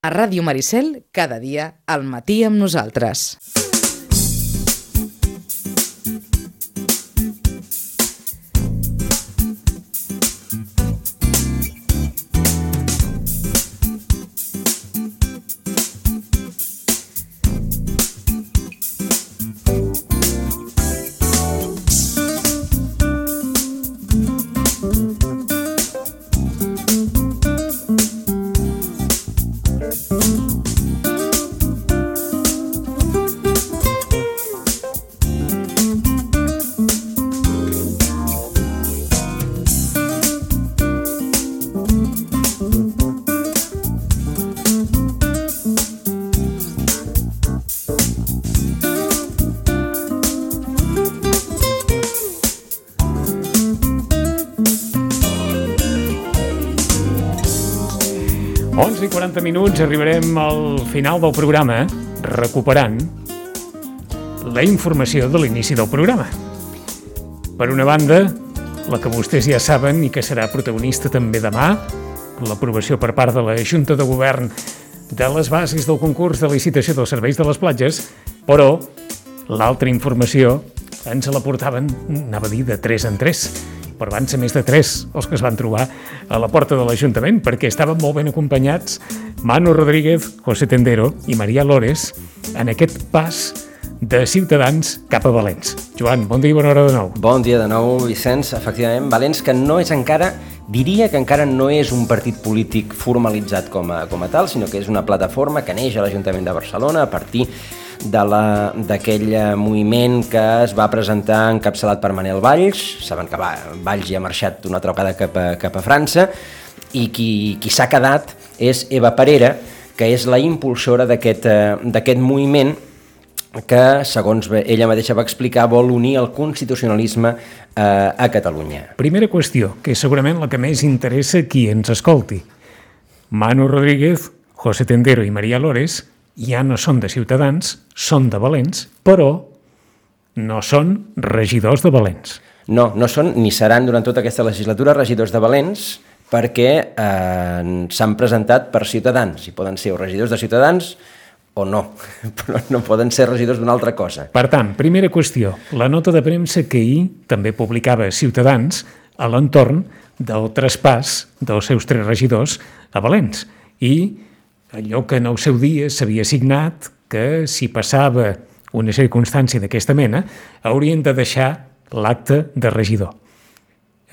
A Ràdio Maricel, cada dia, al matí amb nosaltres. I 40 minuts, arribarem al final del programa, recuperant la informació de l'inici del programa. Per una banda, la que vostès ja saben i que serà protagonista també demà, l'aprovació per part de la Junta de Govern de les bases del concurs de licitació dels serveis de les platges, però l'altra informació ens la portaven, anava a dir, de 3 en 3, però van ser més de 3 els que es van trobar a la porta de l'Ajuntament, perquè estaven molt ben acompanyats Manu Rodríguez, José Tendero i Maria Lores en aquest pas de Ciutadans cap a Valens. Joan, bon dia i bona hora de nou. Bon dia de nou, Vicenç. Efectivament, Valens, que no és encara, diria que encara no és un partit polític formalitzat com a tal, sinó que és una plataforma que neix a l'Ajuntament de Barcelona a partir d'aquell moviment que es va presentar encapçalat per Manel Valls. Saben que Valls ja ha marxat una altra vegada cap a França, i qui s'ha quedat és Eva Parera, que és la impulsora d'aquest moviment que, segons ella mateixa va explicar, vol unir el constitucionalisme a Catalunya. Primera qüestió, que és segurament la que més interessa qui ens escolti. Manu Rodríguez, José Tendero i Maria Lores ja no són de Ciutadans, són de Valens, però no són regidors de Valens. No són ni seran durant tota aquesta legislatura regidors de Valens, perquè s'han presentat per Ciutadans, i poden ser o regidors de Ciutadans o no, però no poden ser regidors d'una altra cosa. Per tant, primera qüestió, la nota de premsa que ahir també publicava Ciutadans a l'entorn del traspàs dels seus 3 regidors a Valens, i allò que en el seu dia s'havia signat, que si passava una circumstància d'aquesta mena, haurien de deixar l'acte de regidor.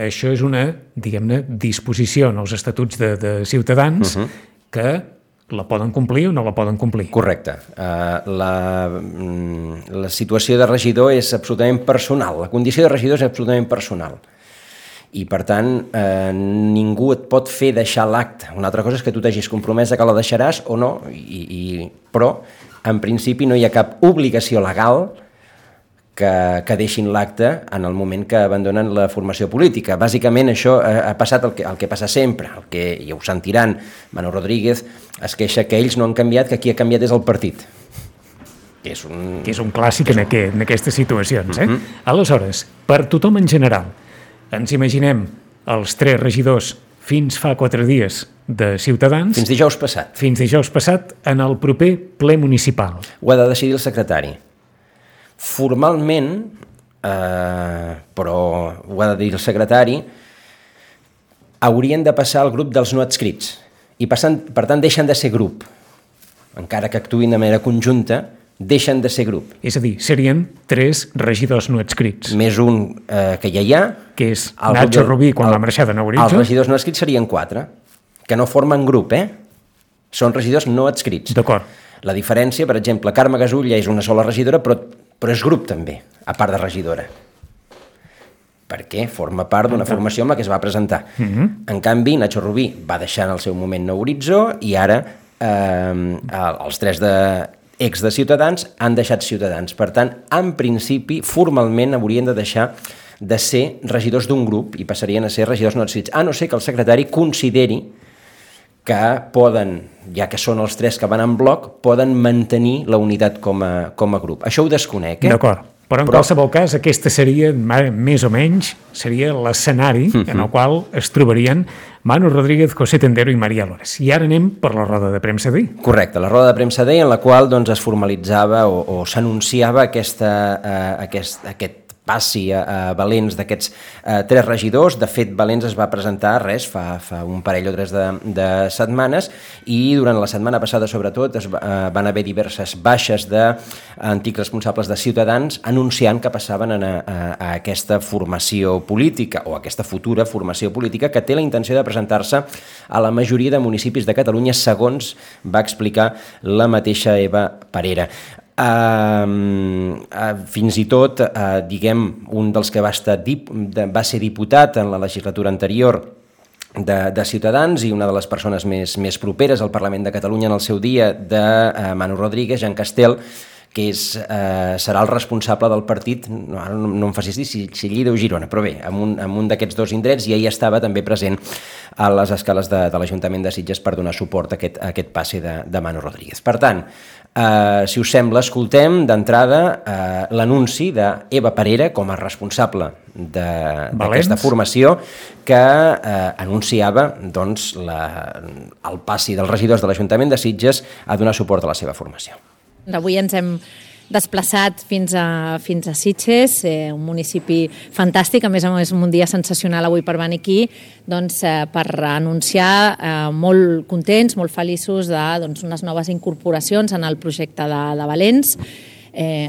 Això és una, diguem-ne, disposició en els estatuts de Ciutadans que la poden complir o no la poden complir. Correcte. La situació de regidor és absolutament personal. La condició de regidor és absolutament personal. I, per tant, ningú et pot fer deixar l'acte. Una altra cosa és que tu t'hagis compromès que la deixaràs o no, però, en principi, no hi ha cap obligació legal que deixin l'acte en el moment que abandonen la formació política. Bàsicament, això ha passat el que passa sempre, el que ja ho sentiran. Manu Rodríguez es queixa que ells no han canviat, que qui ha canviat és el partit. Que és un clàssic en aquestes situacions. Aleshores, per tothom en general, ens imaginem els 3 regidors fins fa 4 dies de Ciutadans. Fins dijous passat. Fins dijous passat en el proper ple municipal. Ho ha de decidir el secretari. Formalment, però ho ha de dir el secretari, haurien de passar al grup dels no adscrits. I per tant deixen de ser grup. Encara que actuïn de manera conjunta, deixen de ser grup. És a dir, serien 3 regidors no adscrits. Més un que ja hi ha. Que és Nacho Rubí, quan va marxar de Nou Horitzó. Els regidors no adscrits serien 4, que no formen grup, Són regidors no adscrits. D'acord. La diferència, per exemple, Carme Gasulla és una sola regidora, però és grup també, a part de regidora. Perquè forma part d'una formació amb la que es va presentar. En canvi, Nacho Rubí va deixar en el seu moment Nou Horitzó i ara els 3 ex de Ciutadans han deixat Ciutadans. Per tant, en principi, formalment haurien de deixar de ser regidors d'un grup i passarien a ser regidors no adscrits, a no ser que el secretari consideri que poden, ja que són els 3 que van en bloc, poden mantenir la unitat com a grup. Això ho desconec, D'acord. Però en qualsevol cas, aquesta seria, més o menys, seria l'escenari en el qual es trobarien Manu Rodríguez, José Tendero i María Lores. I ara anem per la roda de premsa d'ahir. Correcte, la roda de premsa d'ahir en la qual doncs, es formalitzava o s'anunciava aquest passi a Valens d'aquests 3 regidors. De fet, Valens es va presentar fa un parell o 3 de setmanes i durant la setmana passada, sobretot, van haver diverses baixes d'antics responsables de Ciutadans anunciant que passaven a aquesta formació política o a aquesta futura formació política que té la intenció de presentar-se a la majoria de municipis de Catalunya, segons va explicar la mateixa Eva Parera. Fins i tot, diguem, un dels que va ser diputat en la legislatura anterior de Ciutadans i una de les persones més properes al Parlament de Catalunya en el seu dia de Manu Rodríguez, Jean Castel, que serà el responsable del partit, ara no em facis dir si Lleida o Girona, però bé, en un d'aquests 2 indrets, i ell estava també present a les escales de l'Ajuntament de Sitges per donar suport a aquest passe de Manu Rodríguez. Per tant, si us sembla, escoltem d'entrada l'anunci d'Eva Parera com a responsable d'aquesta formació que anunciava doncs, el passi dels regidors de l'Ajuntament de Sitges a donar suport a la seva formació. Avui ens hem desplaçat fins a Sitges, un municipi fantàstic, a més un dia sensacional avui per venir aquí, doncs, per anunciar molt contents, molt feliços d'unes noves incorporacions en el projecte de Valens.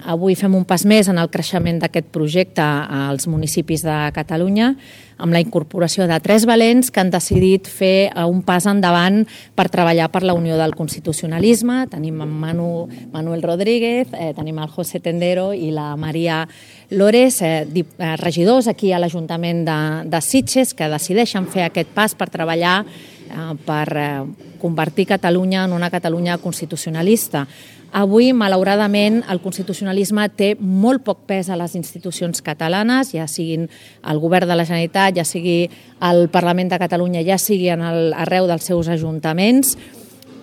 Avui fem un pas més en el creixement d'aquest projecte als municipis de Catalunya, amb la incorporació de 3 valents que han decidit fer un pas endavant per treballar per la Unió del Constitucionalisme. Tenim en Manuel Rodríguez, tenim el José Tendero i la María Lores, regidors aquí a l'Ajuntament de Sitges, que decideixen fer aquest pas per treballar per convertir Catalunya en una Catalunya constitucionalista. Avui, malauradament, el constitucionalisme té molt poc pes a les institucions catalanes, ja siguin el govern de la Generalitat, ja sigui el Parlament de Catalunya, ja sigui arreu dels seus ajuntaments,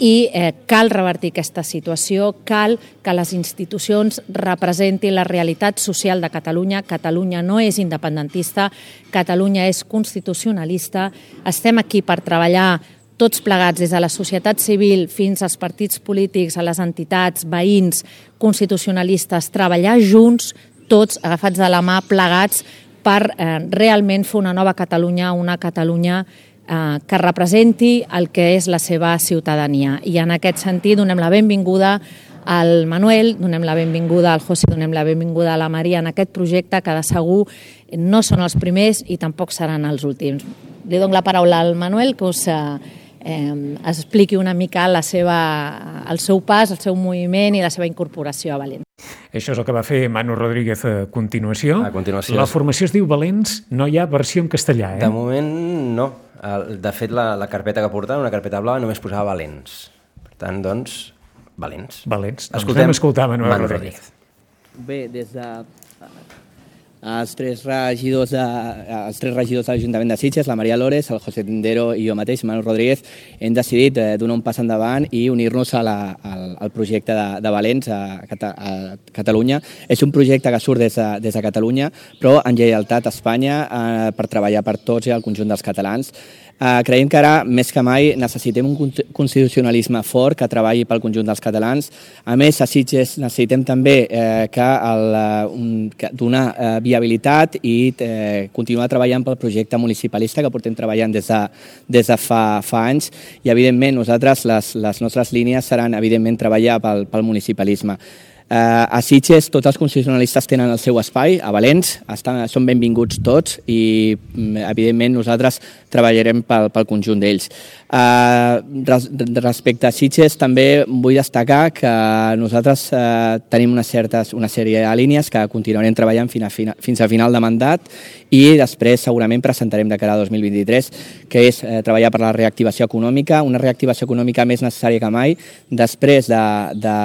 i cal revertir aquesta situació, cal que les institucions representin la realitat social de Catalunya. Catalunya no és independentista, Catalunya és constitucionalista. Estem aquí per treballar tots plegats, des de la societat civil fins als partits polítics, a les entitats, veïns, constitucionalistes, treballar junts, tots agafats de la mà, plegats, per realment fer una nova Catalunya, una Catalunya que representi el que és la seva ciutadania. I en aquest sentit donem la benvinguda al Manuel, donem la benvinguda al José, donem la benvinguda a la Maria en aquest projecte que de segur no són els primers i tampoc seran els últims. Li dono la paraula al Manuel, que us expliqui una mica el seu pas, el seu moviment i la seva incorporació a Valens. Això és el que va fer Manu Rodríguez a continuació. A continuació. La formació es diu Valens, no hi ha versió en castellà, De moment no. De fet, la carpeta que portava, una carpeta blava, només posava Valens. Per tant, doncs, Valens. Valens. Doncs anem a escoltar Manuel Rodríguez. Bé, des de els tres regidors de l'Ajuntament de Sitges, la María Lores, el José Tendero i jo mateix, Manu Rodríguez, hem decidit donar un pas endavant i unir-nos al projecte de Valens a Catalunya. És un projecte que surt des de Catalunya, però en lleialtat a Espanya per treballar per tots i el conjunt dels catalans. Creiem que ara, més que mai, necessitem un constitucionalisme fort que treballi pel conjunt dels catalans. A més, a Sitges necessitem també donar viabilitat i continuar treballant pel projecte municipalista que portem treballant des de fa anys i, evidentment, nosaltres, les nostres línies seran, evidentment, treballar pel municipalisme. A Sitges tots els constitucionalistes tenen el seu espai, a Valens són benvinguts tots i evidentment nosaltres treballarem pel conjunt d'ells. Respecte a Sitges també vull destacar que nosaltres tenim una sèrie de línies que continuarem treballant fins a final de mandat i després segurament presentarem de cara a 2023, que és treballar per la reactivació econòmica, una reactivació econòmica més necessària que mai després de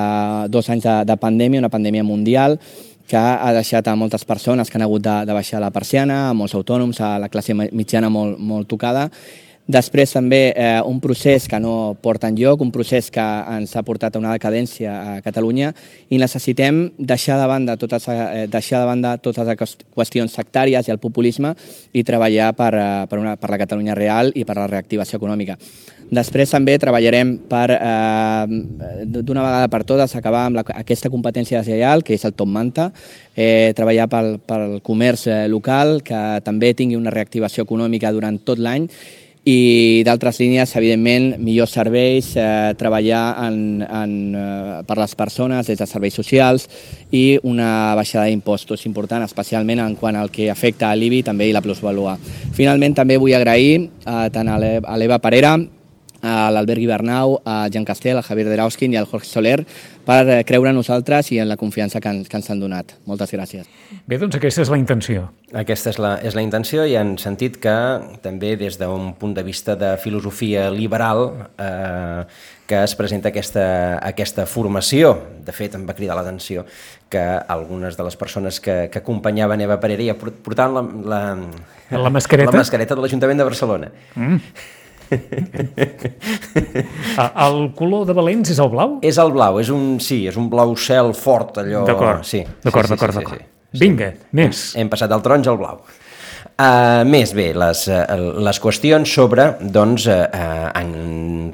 2 anys de pandèmia, una pandèmia mundial que ha deixat a moltes persones que han hagut de baixar la persiana, a molts autònoms, a la classe mitjana molt tocada. Després també un procés que no porta enlloc, un procés que ens ha portat a una decadència a Catalunya i necessitem deixar de banda totes les qüestions sectàries i el populisme i treballar per la Catalunya real i per la reactivació econòmica. Després també treballarem per, d'una vegada per totes, acabar amb aquesta competència deslleial, que és el top manta, treballar pel comerç local, que també tingui una reactivació econòmica durant tot l'any, i d'altres línies, evidentment, millors serveis, treballar per les persones des de serveis socials i una baixada d'impostos important, especialment en quant al que afecta a l'IBI també i la plusvalua. Finalment, també vull agrair tant a l'Eva Parera, a l'Albert Guibernau, a Jean Castel, al Javier Derauskin i al Jorge Soler per creure en nosaltres i en la confiança que ens han donat. Moltes gràcies. Bé, doncs aquesta és la intenció. Aquesta és la intenció i en sentit que també des d'un punt de vista de filosofia liberal que es presenta aquesta formació. De fet, em va cridar l'atenció que algunes de les persones que acompanyaven Eva Parera ja portaven la mascareta de l'Ajuntament de Barcelona. El color de Valens és el blau? És el blau, és un blau cel fort, allò... D'acord, sí. Vinga, més. Hem passat del taronja al blau. Més bé, les qüestions sobre doncs, en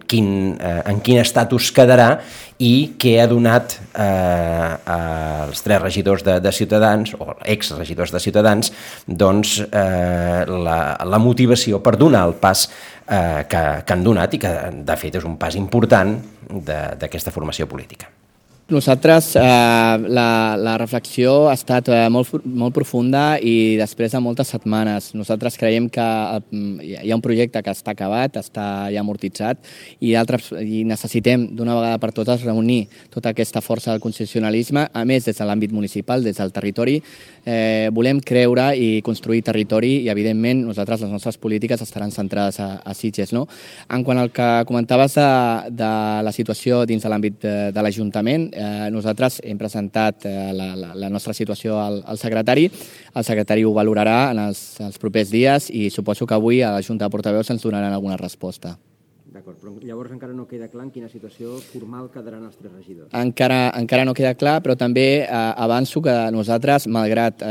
quin estatus quedarà i què ha donat als 3 regidors de Ciutadans, o exregidors de Ciutadans, doncs, la motivació per donar el pas que han donat i que, de fet, és un pas important d'aquesta formació política. Nosaltres, la reflexió ha estat molt profunda i després de moltes setmanes. Nosaltres creiem que hi ha un projecte que està acabat, està ja amortitzat i necessitem d'una vegada per totes reunir tota aquesta força del constitucionalisme, a més des de l'àmbit municipal, des del territori. Volem creure i construir territori i, evidentment, nosaltres, les nostres polítiques estaran centrades a Sitges. No? En quant al que comentaves de la situació dins de l'àmbit de l'Ajuntament, nosaltres hem presentat la nostra situació al secretari. El secretari ho valorarà en els propers dies i suposo que avui a la Junta de Portaveus ens donaran alguna resposta. D'acord, però llavors encara no queda clar en quina situació formal quedaran els 3 regidors. Encara no queda clar, però també avanço que nosaltres, malgrat que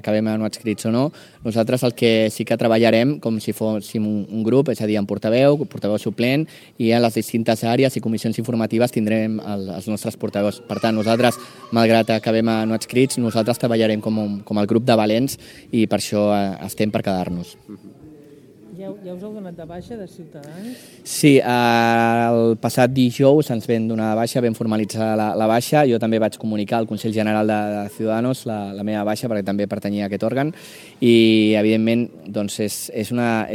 acabem no adscrits o no, nosaltres el que sí que treballarem com si fóssim un grup, és a dir, en portaveu suplent, i en les distintes àrees i comissions informatives tindrem els nostres portaveus. Per tant, nosaltres, malgrat que acabem no adscrits, nosaltres treballarem com el grup de valents i per això estem per quedar-nos. Ja us heu donat de baixa de Ciutadans? Sí, el passat dijous ens vam donar de baixa, vam formalitzar la baixa. Jo també vaig comunicar al Consell General de Ciudadanos la meva baixa perquè també pertanyia a aquest òrgan i, evidentment, doncs és una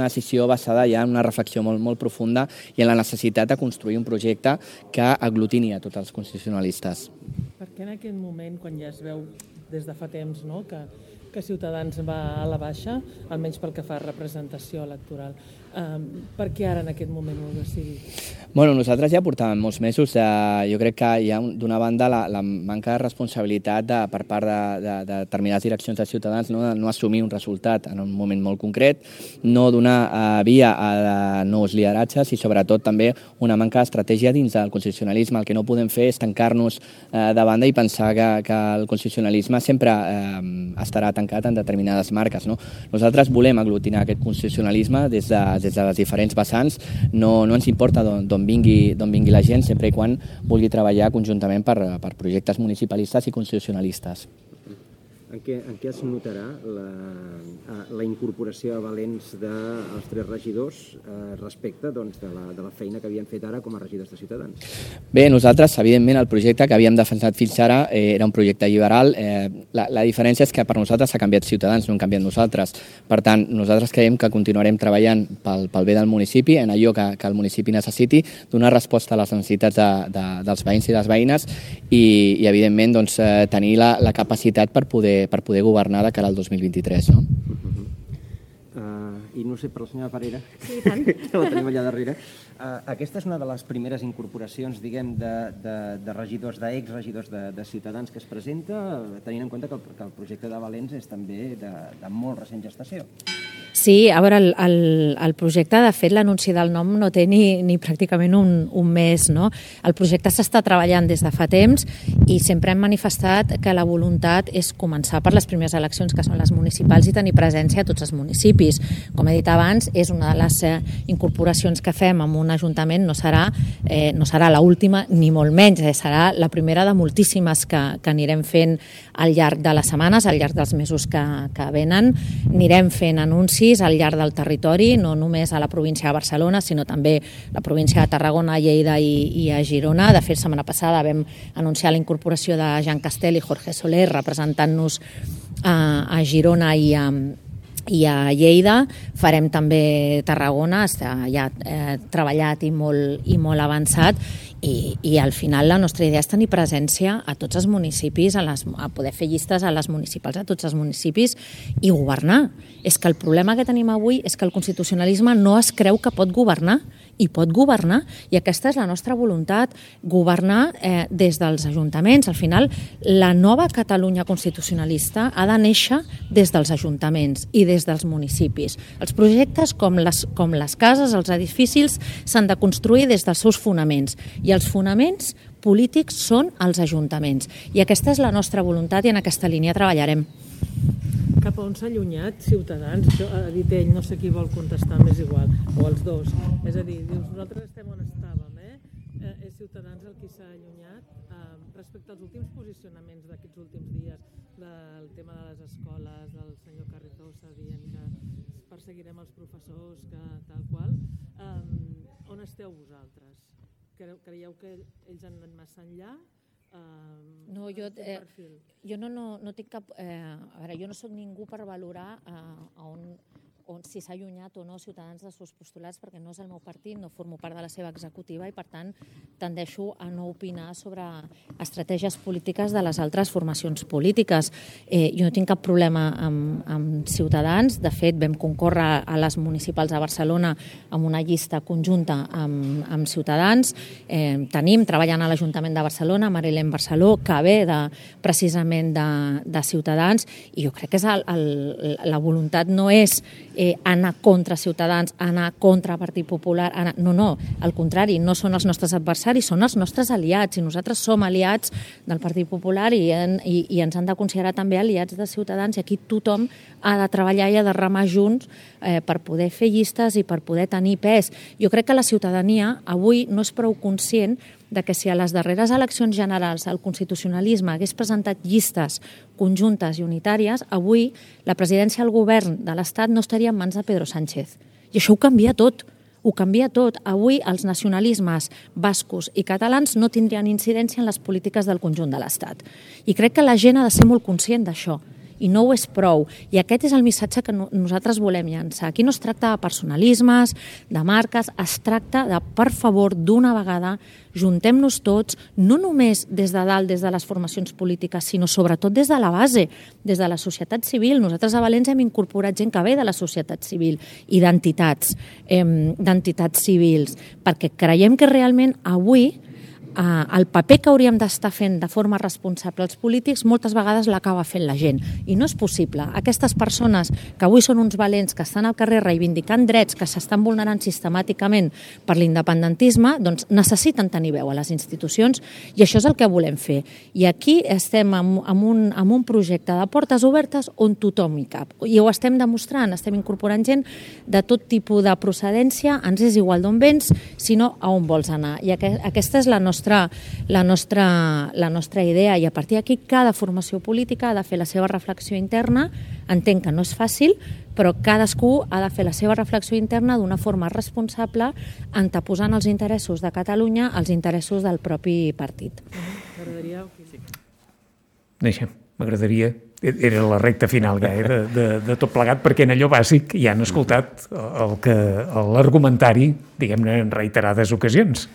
decisió basada ja en una reflexió molt profunda i en la necessitat de construir un projecte que aglutini a tots els constitucionalistes. Per què en aquest moment, quan ja es veu des de fa temps, no, que Ciutadans va a la baixa, almenys pel que fa a representació electoral. Per què ara en aquest moment ho heu decidit? Bueno, nosaltres ja portàvem molts mesos. Jo crec que hi ha, d'una banda, la manca de responsabilitat per part de determinades direccions de Ciutadans no assumir un resultat en un moment molt concret, no donar via a nous lideratges i, sobretot, també una manca d'estratègia dins del constitucionalisme. El que no podem fer és tancar-nos de banda i pensar que el constitucionalisme sempre estarà tancat en determinades marques. No? Nosaltres volem aglutinar aquest constitucionalisme des de les diferents vessants. No ens importa d'on vingui la gent, sempre i quan vulgui treballar conjuntament per projectes municipalistes i constitucionalistes. En què es notarà la incorporació a Valens dels 3 regidors respecte de la feina que havien fet ara com a regidors de Ciutadans? Bé, nosaltres, evidentment, el projecte que havíem defensat fins ara era un projecte liberal. La diferència és que per nosaltres ha canviat Ciutadans, no hem canviat nosaltres. Per tant, nosaltres creiem que continuarem treballant pel bé del municipi, en allò que el municipi necessiti, donar resposta a les necessitats dels veïns i les veïnes i evidentment, doncs, tenir la capacitat per poder governar de cara al 2023, no? I no sé, per la senyora Parera, Sí, tant. que la tenim allà darrere, aquesta és una de les primeres incorporacions, diguem, de regidors, d'exregidors de Ciutadans que es presenta, tenint en compte que el projecte de Valens és també de molt recent gestació. Sí, a veure, el projecte, de fet, l'anunci del nom no té ni pràcticament un mes, no? El projecte s'està treballant des de fa temps i sempre hem manifestat que la voluntat és començar per les primeres eleccions, que són les municipals, i tenir presència a tots els municipis. Com he dit abans, és una de les incorporacions que fem en un ajuntament, no serà l'última ni molt menys, serà la primera de moltíssimes que anirem fent al llarg de les setmanes, al llarg dels mesos que venen. Anirem fent anuncis al llarg del territori, no només a la província de Barcelona, sinó també la província de Tarragona, Lleida i a Girona. De fet, setmana passada vam anunciar la incorporació de Jean Castel i Jorge Soler representant-nos a Girona i a Lleida. Farem també Tarragona, està ja treballat i molt avançat, i al final la nostra idea és tenir presència a tots els municipis, a poder fer llistes a les municipals a tots els municipis i governar. És que el problema que tenim avui és que el constitucionalisme no es creu que pot governar, i pot governar, i aquesta és la nostra voluntat, governar des dels ajuntaments. Al final, la nova Catalunya constitucionalista ha de néixer des dels ajuntaments i des dels municipis. Els projectes, com les cases, els edificis, s'han de construir des dels seus fonaments, i els fonaments polítics són els ajuntaments. I aquesta és la nostra voluntat i en aquesta línia treballarem. Cap a on s'ha allunyat Ciutadans? Això ha dit ell, no sé qui vol contestar, m'és igual, o els dos. És a dir, dius, nosaltres estem on estàvem, és Ciutadans el qui s'ha allunyat respecte als últims posicionaments d'aquests últims dies, del tema de les escoles, del senyor Carrizosa dient que perseguirem els professors, que tal qual. On esteu vosaltres? Creieu que ells han anat massa enllà? No, jo no tinc cap... A veure, jo no soc ningú per valorar si s'ha allunyat o no Ciutadans dels seus postulats, perquè no és el meu partit, no formo part de la seva executiva i, per tant, tendeixo a no opinar sobre estratègies polítiques de les altres formacions polítiques. Jo no tinc cap problema amb Ciutadans. De fet, vam concórrer a les municipals de Barcelona amb una llista conjunta amb Ciutadans. Tenim, treballant a l'Ajuntament de Barcelona, Marilén Barceló, que ve precisament de Ciutadans, i jo crec que la voluntat no és anar contra Ciutadans, anar contra Partit Popular, no, al contrari, no són els nostres adversaris, són els nostres aliats, i nosaltres som aliats del Partit Popular i ens han de considerar també aliats de Ciutadans, i aquí tothom ha de treballar i ha de remar junts per poder fer llistes i per poder tenir pes. Jo crec que la ciutadania avui no és prou conscient de que si a les darreres eleccions generals el constitucionalisme hagués presentat llistes conjuntes i unitàries, avui la presidència del govern de l'Estat no estaria en mans de Pedro Sánchez. I això ho canvia tot. Ho canvia tot. Avui els nacionalismes bascos i catalans no tindrien incidència en les polítiques del conjunt de l'Estat. I crec que la gent ha de ser molt conscient d'això. I no ho és prou. I aquest és el missatge que nosaltres volem llançar. Aquí no es tracta de personalismes, de marques, es tracta de, per favor, d'una vegada, juntem-nos tots, no només des de dalt, des de les formacions polítiques, sinó sobretot des de la base, des de la societat civil. Nosaltres a València hem incorporat gent que ve de la societat civil i d'entitats civils, perquè creiem que realment avui el paper que hauríem d'estar fent de forma responsable els polítics moltes vegades l'acaba fent la gent, i no és possible. Aquestes persones que avui són uns valents, que estan al carrer reivindicant drets que s'estan vulnerant sistemàticament per l'independentisme, doncs necessiten tenir veu a les institucions, i això és el que volem fer. I aquí estem amb un projecte de portes obertes on tothom hi cap, i ho estem demostrant, estem incorporant gent de tot tipus de procedència, ens és igual d'on vens, sinó a on vols anar. I aquesta és la nostra idea, i a partir d'aquí cada formació política ha de fer la seva reflexió interna. Entenc que no és fàcil, però cadascú ha de fer la seva reflexió interna d'una forma responsable, anteposant els interessos de Catalunya als interessos del propi partit. M'agradaria, era la recta final de tot plegat, perquè en allò bàsic ja han escoltat l'argumentari, diguem-ne, en reiterades ocasions.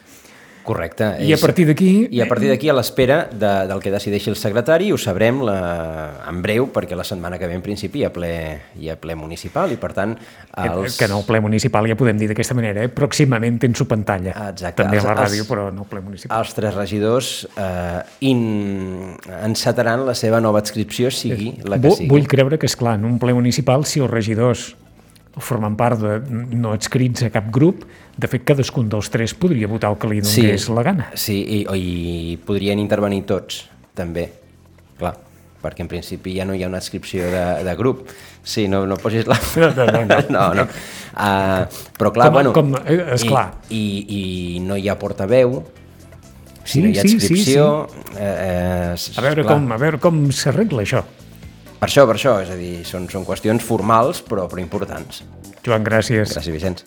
Correcte. I a partir d'aquí... I a partir d'aquí, a l'espera del que decideixi el secretari, ho sabrem en breu, perquè la setmana que ve en principi hi ha ple municipal, i per tant... Que no, el ple municipal ja podem dir d'aquesta manera, pròximament en su pantalla. Exacte. També a la ràdio, però no el ple municipal. Els 3 regidors encetaran la seva nova adscripció, sigui la que sigui. Vull creure que, esclar, en un ple municipal, si els regidors formant part de no adscrits a cap grup. De fet, cadascun dels 3 podria votar el que li donés la gana. Sí, i podrien intervenir tots, també, clar, perquè en principi ja no hi ha una adscripció de grup. Sí, no posis la... No. Però clar, esclar. I no hi ha portaveu, si no hi ha adscripció... A veure com s'arregla això. Per això, és a dir, són qüestions formals però importants. Joan, gràcies. Gràcies, Vicenç.